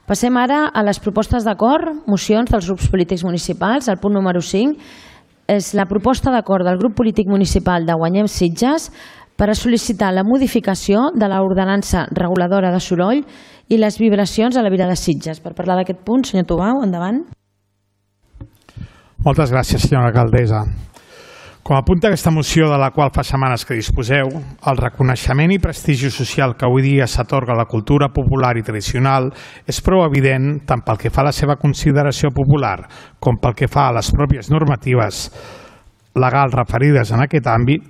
Passem ara a les propostes d'acord, mocions dels grups polítics municipals. El punt número 5 és la proposta d'acord del grup polític municipal de Guanyem Sitges per a sol·licitar la modificació de l'ordenança reguladora de soroll i les vibracions a la Vila de Sitges. Per parlar d'aquest punt, senyor Tubau, endavant. Moltes gràcies, senyora alcaldessa. Com apunta aquesta moció de la qual fa setmanes que disposeu, el reconeixement i prestigi social que avui dia s'atorga a la cultura popular i tradicional és prou evident tant pel que fa a la seva consideració popular com pel que fa a les pròpies normatives legals referides en aquest àmbit.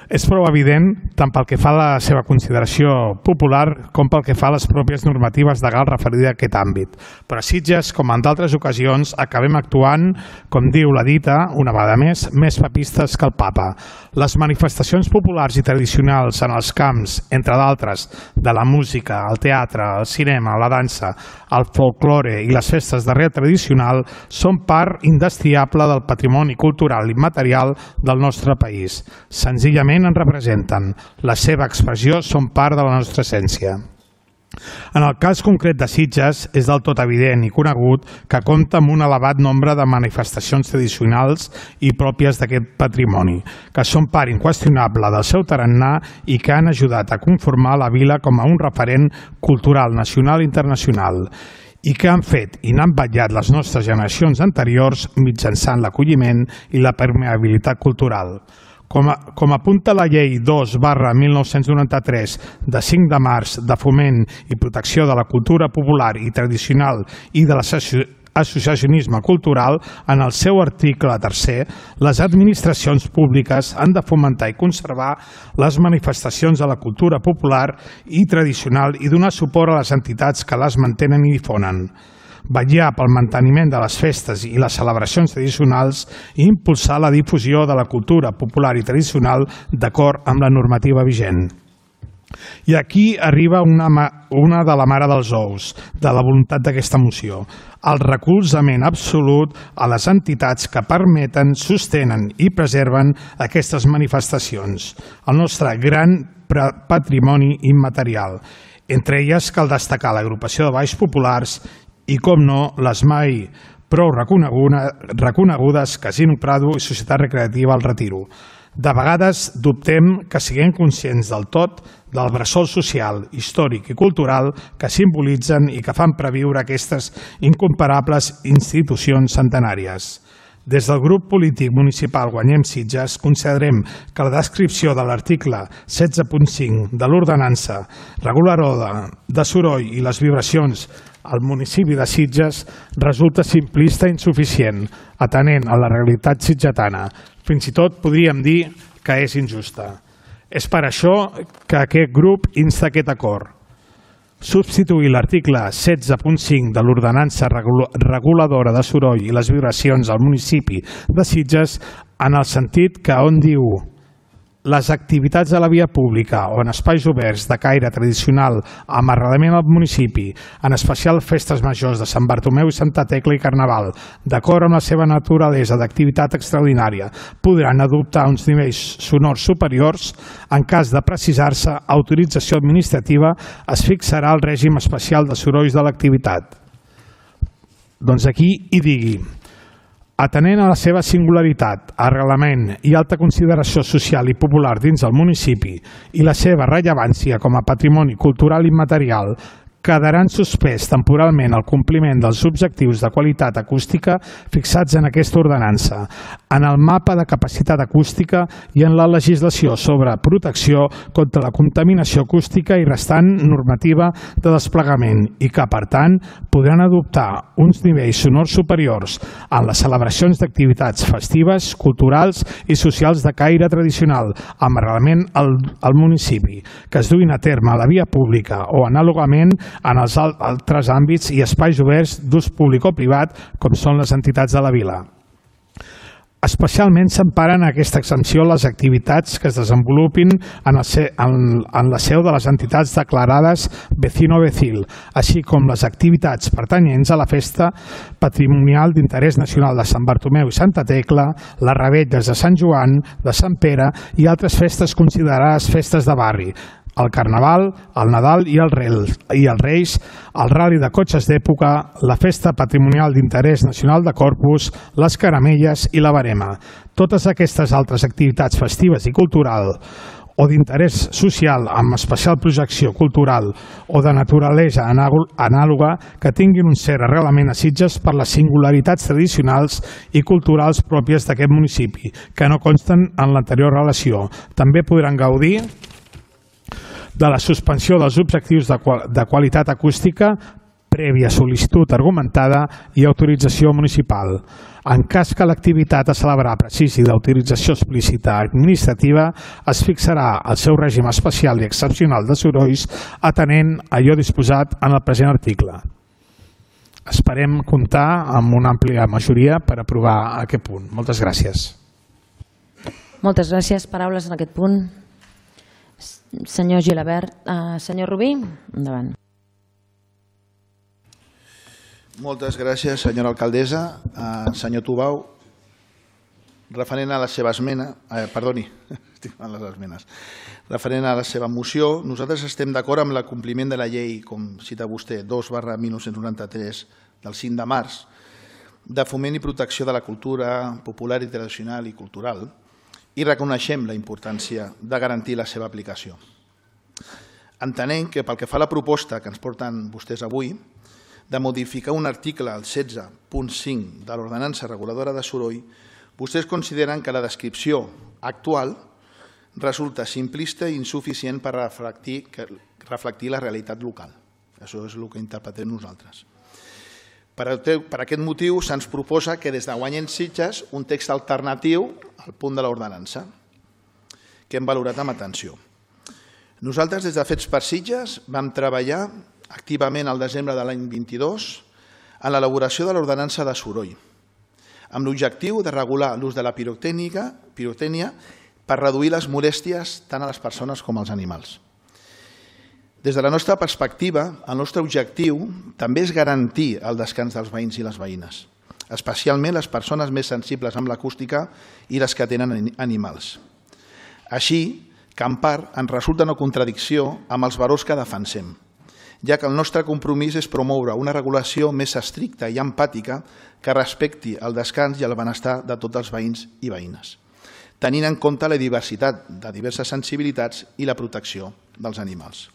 És prou evident tant pel que fa a la seva consideració popular com pel que fa a les pròpies normatives legals referides a aquest àmbit. Però a Sitges, com en d'altres ocasions, acabem actuant, com diu la dita, una vegada més papistes que el papa. Les manifestacions populars i tradicionals en els camps, entre d'altres, de la música, el teatre, el cinema, la dansa, el folklore i les festes d'arrel tradicional són part indestriable del patrimoni cultural i immaterial del nostre país. Senzillament en representen. La seva expressió són part de la nostra essència. En el cas concret de Sitges, és del tot evident i conegut que compta amb un elevat nombre de manifestacions tradicionals i pròpies d'aquest patrimoni, que són part inqüestionable del seu tarannà i que han ajudat a conformar la vila com a un referent cultural nacional i internacional, i que han fet i n'han vetllat les nostres generacions anteriors mitjançant l'acolliment i la permeabilitat cultural. Com apunta la Llei 2/1993 de 5 de març de foment i protecció de la cultura popular i tradicional i de l'associacionisme cultural, en el seu article 3è, les administracions públiques han de fomentar i conservar les manifestacions de la cultura popular i tradicional i donar suport a les entitats que les mantenen i difonen, vetllar pel manteniment de les festes i les celebracions tradicionals i impulsar la difusió de la cultura popular i tradicional d'acord amb la normativa vigent. I aquí arriba una de la mare dels ous, de la voluntat d'aquesta moció, el recolzament absolut a les entitats que permeten, sostenen i preserven aquestes manifestacions, el nostre gran patrimoni immaterial. Entre elles cal destacar l'agrupació de balls populars i, com no, les mai prou reconegudes Casino Prado i Societat Recreativa El Retiro. De vegades dubtem que siguem conscients del tot del bressol social, històric i cultural que simbolitzen i que fan previure aquestes incomparables institucions centenàries. Des del grup polític municipal Guanyem Sitges considerem que la descripció de l'article 16.5 de l'ordenança reguladora de soroll i les vibracions al municipi de Sitges resulta simplista i insuficient, atenent a la realitat sitgetana. Fins i tot podríem dir que és injusta. És per això que aquest grup insta aquest acord. Substituir l'article 16.5 de l'ordenança reguladora de soroll i les vibracions al municipi de Sitges en el sentit que on diu les activitats de la via pública o en espais oberts de caire tradicional amb arrelament al municipi, en especial festes majors de Sant Bartomeu i Santa Tecla i Carnaval, d'acord amb la seva naturalesa d'activitat extraordinària, podran adoptar uns nivells sonors superiors. En cas de precisar-se autorització administrativa, es fixarà el règim especial de sorolls de l'activitat. Doncs aquí hi digui: atenent a la seva singularitat, arrelament i alta consideració social i popular dins del municipi i la seva rellevància com a patrimoni cultural immaterial, quedaran suspès temporalment el compliment dels objectius de qualitat acústica fixats en aquesta ordenança, en el mapa de capacitat acústica i en la legislació sobre protecció contra la contaminació acústica i restant normativa de desplegament i que, per tant, podran adoptar uns nivells sonors superiors en les celebracions d'activitats festives, culturals i socials de caire tradicional amb arrelament al municipi, que es duin a terme a la via pública o anàlogament en els altres àmbits i espais oberts d'ús públic o privat, com són les entitats de la vila. Especialment s'emparen en aquesta exempció les activitats que es desenvolupin en la seu de les entitats declarades vecino-vecil, així com les activitats pertanyents a la Festa Patrimonial d'Interès Nacional de Sant Bartomeu i Santa Tecla, les revetlles de Sant Joan, de Sant Pere i altres festes considerades festes de barri, el Carnaval, el Nadal i els Reis, el Rally de cotxes d'època, la Festa Patrimonial d'Interès Nacional de Corpus, les Caramelles i la Verema. Totes aquestes altres activitats festives i culturals o d'interès social amb especial projecció cultural o de naturalesa anàloga que tinguin un cert arrelament a Sitges per les singularitats tradicionals i culturals pròpies d'aquest municipi, que no consten en l'anterior relació. També podran gaudir de la suspensió dels objectius de qualitat acústica prèvia sol·licitud argumentada i autorització municipal. En cas que l'activitat a celebrar precisi d'autorització explícita administrativa, es fixarà el seu règim especial i excepcional de sorolls atenent allò disposat en el present article. Esperem comptar amb una àmplia majoria per aprovar aquest punt. Moltes gràcies. Moltes gràcies. Paraules en aquest punt. Senyor Gilabert. Senyor Rubí, endavant. Moltes gràcies, senyora alcaldessa. Senyor Tubau, referent a la seva esmena, referent a la seva moció, nosaltres estem d'acord amb l'acompliment de la llei, com cita vostè, 2/1993 del 5 de març, de foment i protecció de la cultura popular i tradicional i cultural, i reconeixem la importància de garantir la seva aplicació. Entenem que pel que fa a la proposta que ens porten vostès avui, de modificar un article, el 16.5 de l'ordenança reguladora de soroll, vostès consideren que la descripció actual resulta simplista i insuficient per reflectir la realitat local. Això és el que interpretem nosaltres. Per aquest motiu se'ns proposa que des de Guanyem Sitges un text alternatiu al punt de l'ordenança, que hem valorat amb atenció. Nosaltres des de Fets per Sitges vam treballar activament al desembre de l'any 22 en l'elaboració de l'ordenança de soroll, amb l'objectiu de regular l'ús de la pirotècnia per reduir les molèsties tant a les persones com als animals. Des de la nostra perspectiva, el nostre objectiu també és garantir el descans dels veïns i les veïnes, especialment les persones més sensibles amb l'acústica i les que tenen animals. Així que en part ens resulta una contradicció amb els valors que defensem, ja que el nostre compromís és promoure una regulació més estricta i empàtica que respecti el descans i el benestar de tots els veïns i veïnes, tenint en compte la diversitat de diverses sensibilitats i la protecció dels animals.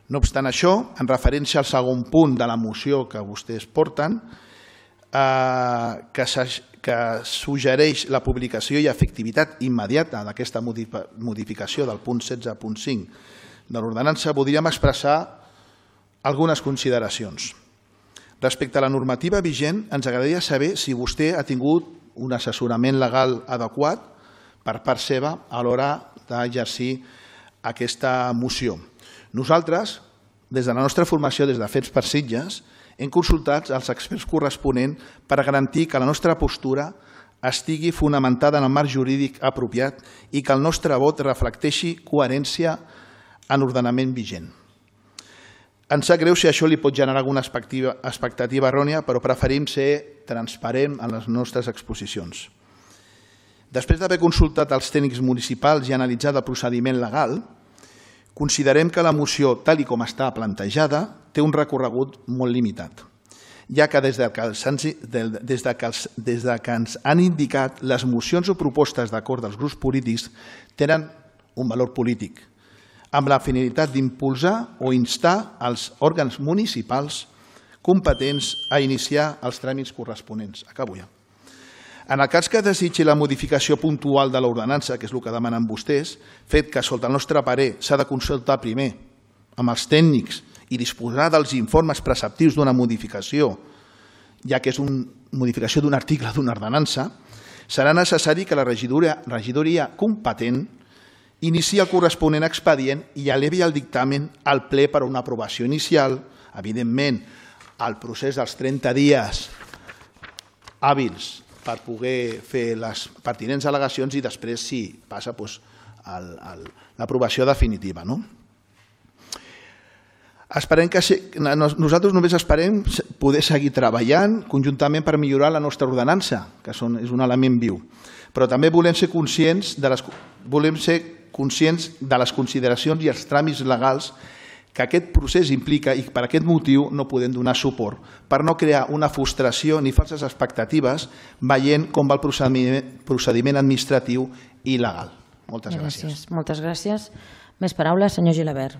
No obstant això, en referència al segon punt de la moció que vostès porten, que suggereix la publicació i efectivitat immediata d'aquesta modificació del punt 16.5 de l'ordenança, voldríem expressar algunes consideracions. Respecte a la normativa vigent, ens agradaria saber si vostè ha tingut un assessorament legal adequat per part seva a l'hora d'exercir aquesta moció. Nosaltres, des de la nostra formació, des de Fets per Sitges, hem consultat els experts corresponents per garantir que la nostra postura estigui fonamentada en el marc jurídic apropiat i que el nostre vot reflecteixi coherència en l'ordenament vigent. Ens sap greu si això li pot generar alguna expectativa errònia, però preferim ser transparent en les nostres exposicions. Després d'haver consultat els tècnics municipals i analitzat el procediment legal, considerem que la moció, tal com està plantejada, té un recorregut molt limitat, ja que des que ens han indicat les mocions o propostes d'acord dels grups polítics tenen un valor polític, amb la finalitat d'impulsar o instar els òrgans municipals competents a iniciar els tràmits corresponents. Acabo ja. En el cas que desitgi la modificació puntual de l'ordenança, que és el que demanen vostès, fet que, sota el nostre parer, s'ha de consultar primer amb els tècnics i disposar dels informes preceptius d'una modificació, ja que és una modificació d'un article d'una ordenança, serà necessari que la regidoria competent inicia el corresponent expedient i elevi el dictamen al ple per a una aprovació inicial, evidentment, al procés dels 30 dies hàbils per poder fer les pertinents al·legacions i després, si passa, l'aprovació definitiva. Nosaltres només esperem poder seguir treballant conjuntament per millorar la nostra ordenança, que és un element viu, però també volem ser conscients, volem ser conscients de les consideracions i els tràmits legals que aquest procés implica i per aquest motiu no podem donar suport, per no crear una frustració ni falses expectatives veient com va el procediment administratiu i legal. Moltes gràcies. Moltes gràcies. Més paraules, senyor Gilabert.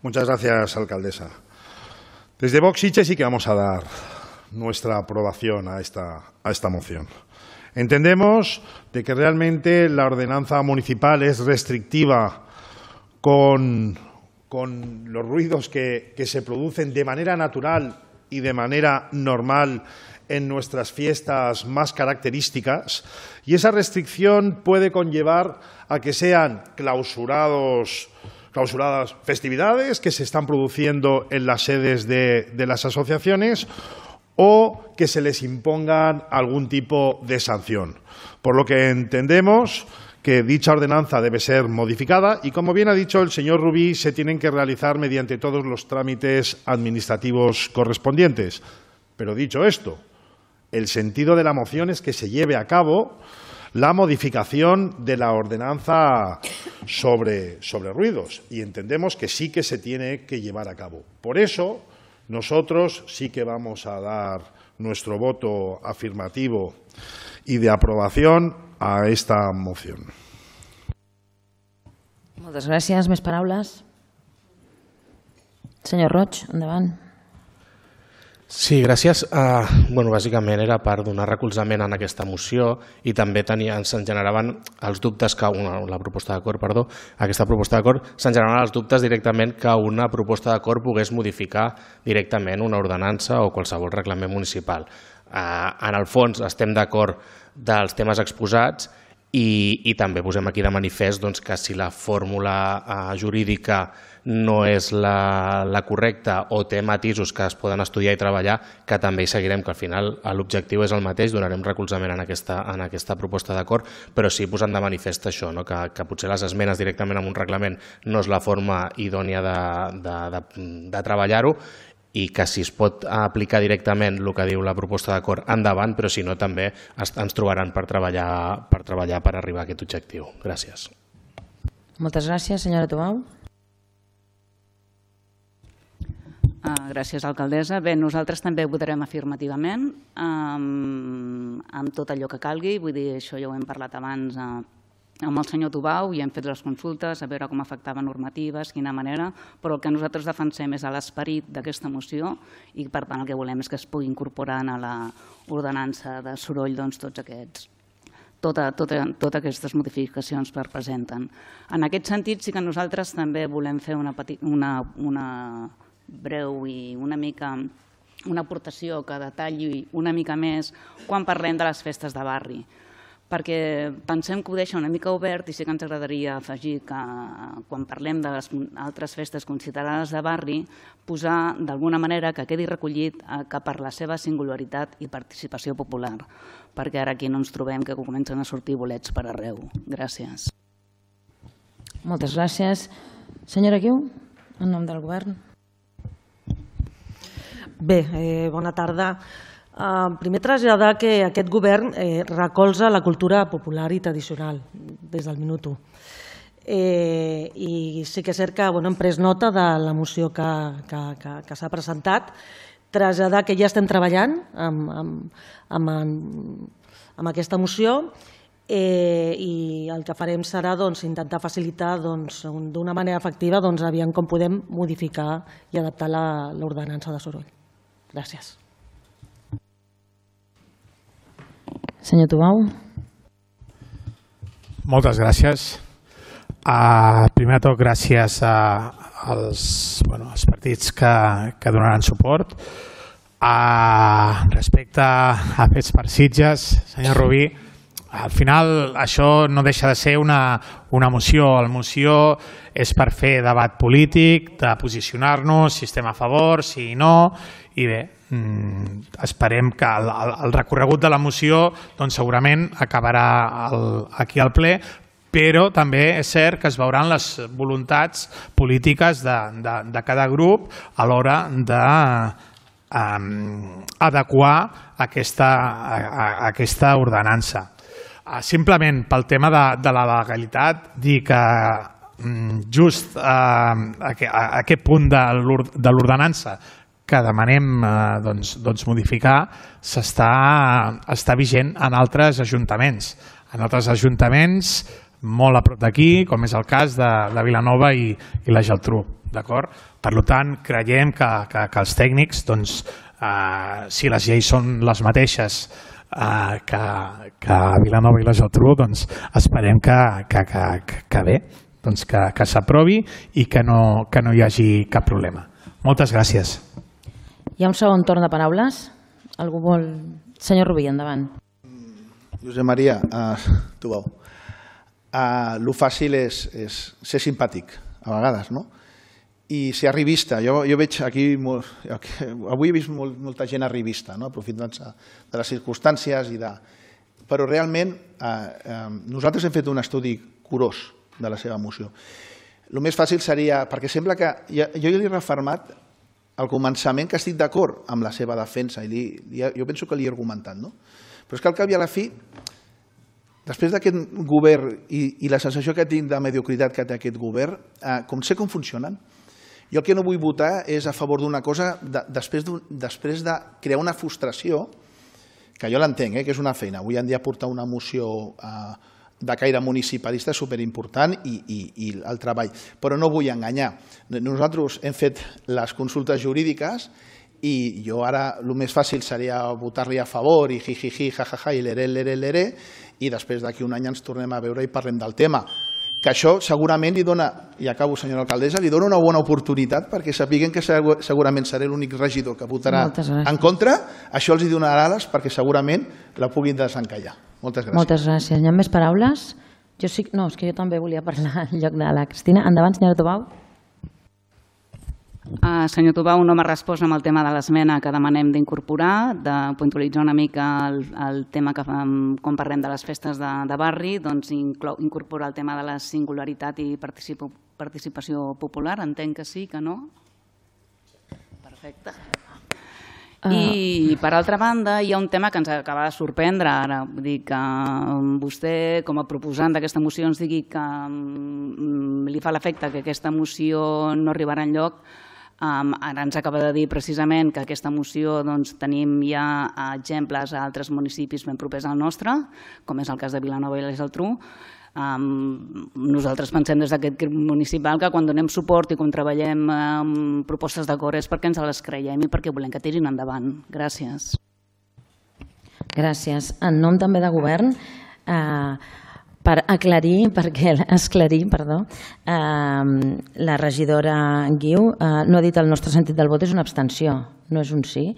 Muchas gracias, alcaldesa. Desde Vox Sitges sí que vamos a dar nuestra aprobación a esta moción. Entendemos de que realmente la ordenanza municipal es restrictiva con los ruidos que se producen de manera natural y de manera normal en nuestras fiestas más características, y esa restricción puede conllevar a que sean clausuradas festividades que se están produciendo en las sedes de las asociaciones o que se les impongan algún tipo de sanción. Por lo que entendemos que dicha ordenanza debe ser modificada y, como bien ha dicho el señor Rubí, se tienen que realizar mediante todos los trámites administrativos correspondientes. Pero dicho esto, el sentido de la moción es que se lleve a cabo la modificación de la ordenanza sobre ruidos, y entendemos que sí que se tiene que llevar a cabo. Por eso, nosotros sí que vamos a dar nuestro voto afirmativo y de aprobación a esta moción. Moltes gràcies. Més paraules? Senyor Roig, endavant. Sí, gràcies. Bàsicament era per donar recolzament en aquesta moció i també se'n generaven els dubtes que aquesta proposta d'acord se'n generaven els dubtes directament que una proposta d'acord pogués modificar directament una ordenança o qualsevol reglament municipal. En el fons estem d'acord dels temes exposats i també posem aquí de manifest que si la fórmula jurídica no és la correcta o té matisos que es poden estudiar i treballar, que també hi seguirem, que al final l'objectiu és el mateix, donarem recolzament en aquesta proposta d'acord, però sí posant de manifest això, que potser les esmenes directament en un reglament no és la forma idònia de treballar-ho, i que si es pot aplicar directament el que diu la proposta d'acord, endavant, però si no també ens trobaran per treballar per arribar a aquest objectiu. Gràcies. Moltes gràcies. Senyora Tobau. Gràcies, alcaldessa. Bé, nosaltres també votarem afirmativament amb tot allò que calgui. Vull dir, això ja ho hem parlat abans amb el senyor Tobau i hem fet les consultes a veure com afectava normatives, quina manera, però el que nosaltres defensem és l'esperit d'aquesta moció i per tant el que volem és que es pugui incorporar a l'ordenança de soroll totes aquestes modificacions que representen. En aquest sentit sí que nosaltres també volem fer una breu i una aportació que detalli una mica més quan parlem de les festes de barri, perquè pensem que ho deixa una mica obert i sí que ens agradaria afegir que quan parlem de les altres festes considerades de barri, posar d'alguna manera que quedi recollit que per la seva singularitat i participació popular, perquè ara aquí no ens trobem que comencen a sortir bolets per arreu. Gràcies. Moltes gràcies. Senyora Guiu, en nom del govern. Bé, bona tarda. Primer traslladar que aquest govern recolza la cultura popular i tradicional des del minut 1. I sí que és cert que hem pres nota de la moció que s'ha presentat, traslladar que ja estem treballant amb aquesta moció i el que farem serà intentar facilitar d'una manera efectiva aviam com podem modificar i adaptar l'ordenança de soroll. Gràcies. Senyor Tobau. Moltes gràcies. Primer de tot, gràcies als partits que donaran suport. Respecte a Fets per Sitges, senyor Rubí, al final això no deixa de ser una moció. La moció és per fer debat polític, de posicionar-nos, si estem a favor, si no, i bé, esperem que el recorregut de la moció segurament acabarà aquí al ple, però també és cert que es veuran les voluntats polítiques de cada grup a l'hora d'adequar aquesta ordenança. Simplement pel tema de la legalitat, dir que just a aquest punt de l'ordenança que demanem modificar està vigent en altres ajuntaments. En altres ajuntaments molt a prop d'aquí, com és el cas de Vilanova i la Geltrú. Per tant, creiem que els tècnics, si les lleis són les mateixes que a Vilanova i la Geltrú, esperem que bé, que s'aprovi i que no hi hagi cap problema. Moltes gràcies. Hi ha un segon torn de paraules. Algú vol... Senyor Rubí, endavant. Josep Maria, tu veu. Lo fàcil és ser simpàtic, a vegades, no? I ser arribista. Jo veig aquí... Avui he vist molta gent arribista, aprofitant-se de les circumstàncies. Però realment nosaltres hem fet un estudi curós de la seva moció. El més fàcil seria... Perquè sembla que... Jo li he refermat al començament que estic d'acord amb la seva defensa i jo penso que li he argumentat, no? Però és que al cap i a la fi, després d'aquest govern i la sensació que tinc de mediocritat que té aquest govern, sé com funcionen. Jo el que no vull votar és a favor d'una cosa després de crear una frustració, que jo l'entenc, que és una feina. Avui en dia portar una moció de caire municipalista és superimportant i el treball. Però no vull enganyar. Nosaltres hem fet les consultes jurídiques i jo ara el més fàcil seria votar-li a favor i jijiji, jajaja i leré, i després d'aquí un any ens tornem a veure i parlem del tema. Que això segurament li dona, i acabo senyora alcaldessa, li dona una bona oportunitat perquè sapiguen que segurament seré l'únic regidor que votarà en contra, això els donarà ales perquè segurament la puguin desencallar. Moltes gràcies. Moltes gràcies. Hi ha més paraules? No, és que jo també volia parlar en lloc de la Cristina. Endavant, senyora Tobau. Senyor Tobau, no m'ha respost amb el tema de l'esmena que demanem d'incorporar, de puntualitzar una mica el tema que quan parlem de les festes de barri, doncs incorporar el tema de la singularitat i participació popular. Entenc que sí, que no? Perfecte. I, per altra banda, hi ha un tema que ens acaba de sorprendre ara. Vull dir que vostè, com a proposant d'aquesta moció, ens digui que li fa l'efecte que aquesta moció no arribarà enlloc. Ara ens acaba de dir precisament que aquesta moció tenim ja exemples a altres municipis ben propers al nostre, com és el cas de Vilanova i la Geltrú. Nosaltres pensem des d'aquest grup municipal que quan donem suport i quan treballem propostes d'acord és perquè ens les creiem i perquè volem que tirin endavant. Gràcies. Gràcies. En nom també de govern, per esclarir, la regidora Guiu no ha dit el nostre sentit del vot és una abstenció, no és un sí.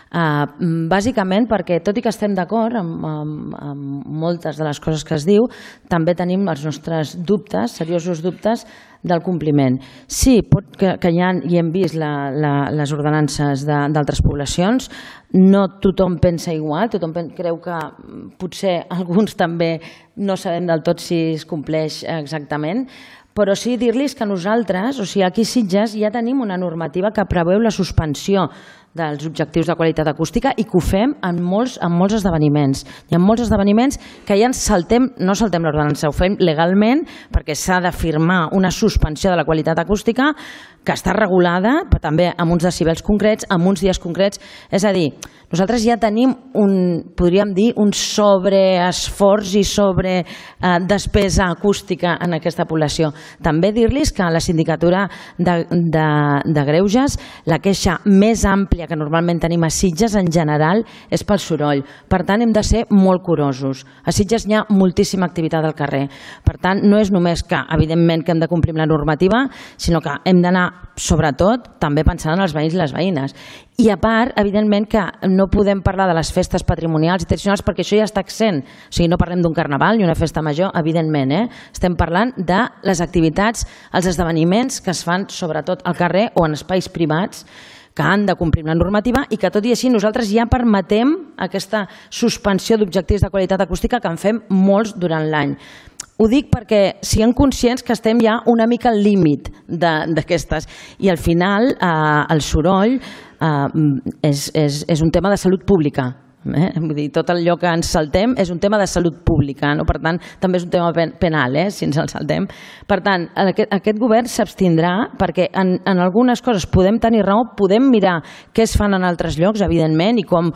Bàsicament perquè, tot i que estem d'acord amb moltes de les coses que es diu, també tenim els nostres dubtes, seriosos dubtes, del compliment. Sí, que hi ha, i hem vist les ordenances d'altres poblacions, no tothom pensa igual, tothom creu que potser alguns també no sabem del tot si es compleix exactament, però sí dir-los que nosaltres, o sigui, aquí a Sitges ja tenim una normativa que preveu la suspensió dels objectius de qualitat acústica i que ho fem en molts esdeveniments. Hi ha molts esdeveniments que ja no saltem l'ordenança, ho fem legalment perquè s'ha de firmar una suspensió de la qualitat acústica que està regulada, però també amb uns decibels concrets, amb uns dies concrets. És a dir, nosaltres ja tenim podríem dir, un sobreesforç i sobre despesa acústica en aquesta població. També dir-los que a la sindicatura de Greuges la queixa més àmplia que normalment tenim a Sitges en general és pel soroll. Per tant, hem de ser molt curosos. A Sitges hi ha moltíssima activitat al carrer. Per tant, no és només que, evidentment, que hem de complir la normativa, sinó que hem d'anar, sobretot, també pensant en els veïns i les veïnes. I a part, evidentment, que no podem parlar de les festes patrimonials i tradicionals perquè això ja està exempt. O sigui, no parlem d'un carnaval ni una festa major, evidentment. Estem parlant de les activitats, els esdeveniments que es fan sobretot al carrer o en espais privats que han de complir la normativa i que tot i així nosaltres ja permetem aquesta suspensió d'objectius de qualitat acústica que en fem molts durant l'any. Ho dic perquè siguem conscients que estem ja una mica al límit d'aquestes i al final el soroll és un tema de salut pública Vull dir, tot allò que ens saltem és un tema de salut pública, no? Per tant, també és un tema penal, si ens el saltem. Per tant, aquest govern s'abstindrà perquè en algunes coses podem tenir raó, podem mirar què es fan en altres llocs, evidentment, i com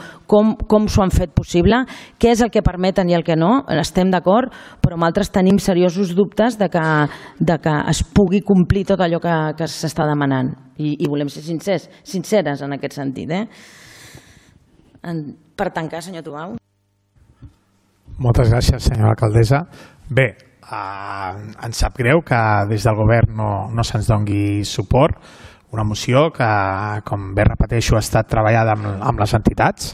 s'ho han fet possible, què és el que permeten i el que no, estem d'acord, però amb altres tenim seriosos dubtes de que es pugui complir tot allò que s'està demanant. I volem ser sinceres en aquest sentit. Per tancar, senyor Tubau. Moltes gràcies, senyora alcaldessa. Bé, ens sap greu que des del govern no se'ns doni suport. Una moció que, com bé repeteixo, ha estat treballada amb les entitats.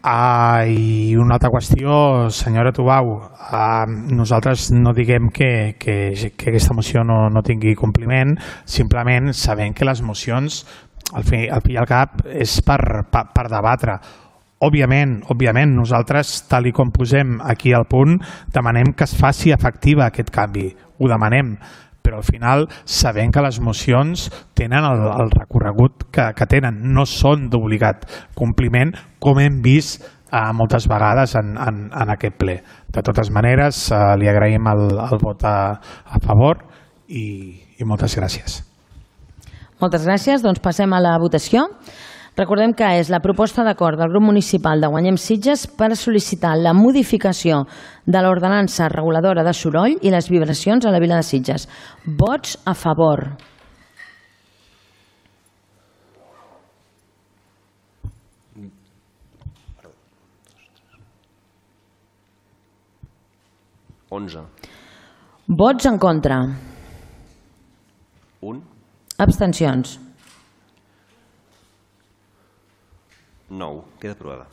I una altra qüestió, senyora Tubau, nosaltres no diguem que aquesta moció no tingui compliment, simplement sabem que les mocions, al fi i al cap, és per debatre. Òbviament, nosaltres, tal com posem aquí al punt, demanem que es faci efectiva aquest canvi, ho demanem, però al final sabem que les mocions tenen el recorregut que tenen, no són d'obligat compliment, com hem vist moltes vegades en aquest ple. De totes maneres, li agraïm el vot a favor i moltes gràcies. Moltes gràcies. Doncs passem a la votació. Recordem que és la proposta d'acord del grup municipal de Guanyem Sitges per sol·licitar la modificació de l'ordenança reguladora de soroll i les vibracions a la vila de Sitges. Vots a favor. Vots en contra. Abstencions. 9. Queda aprovada.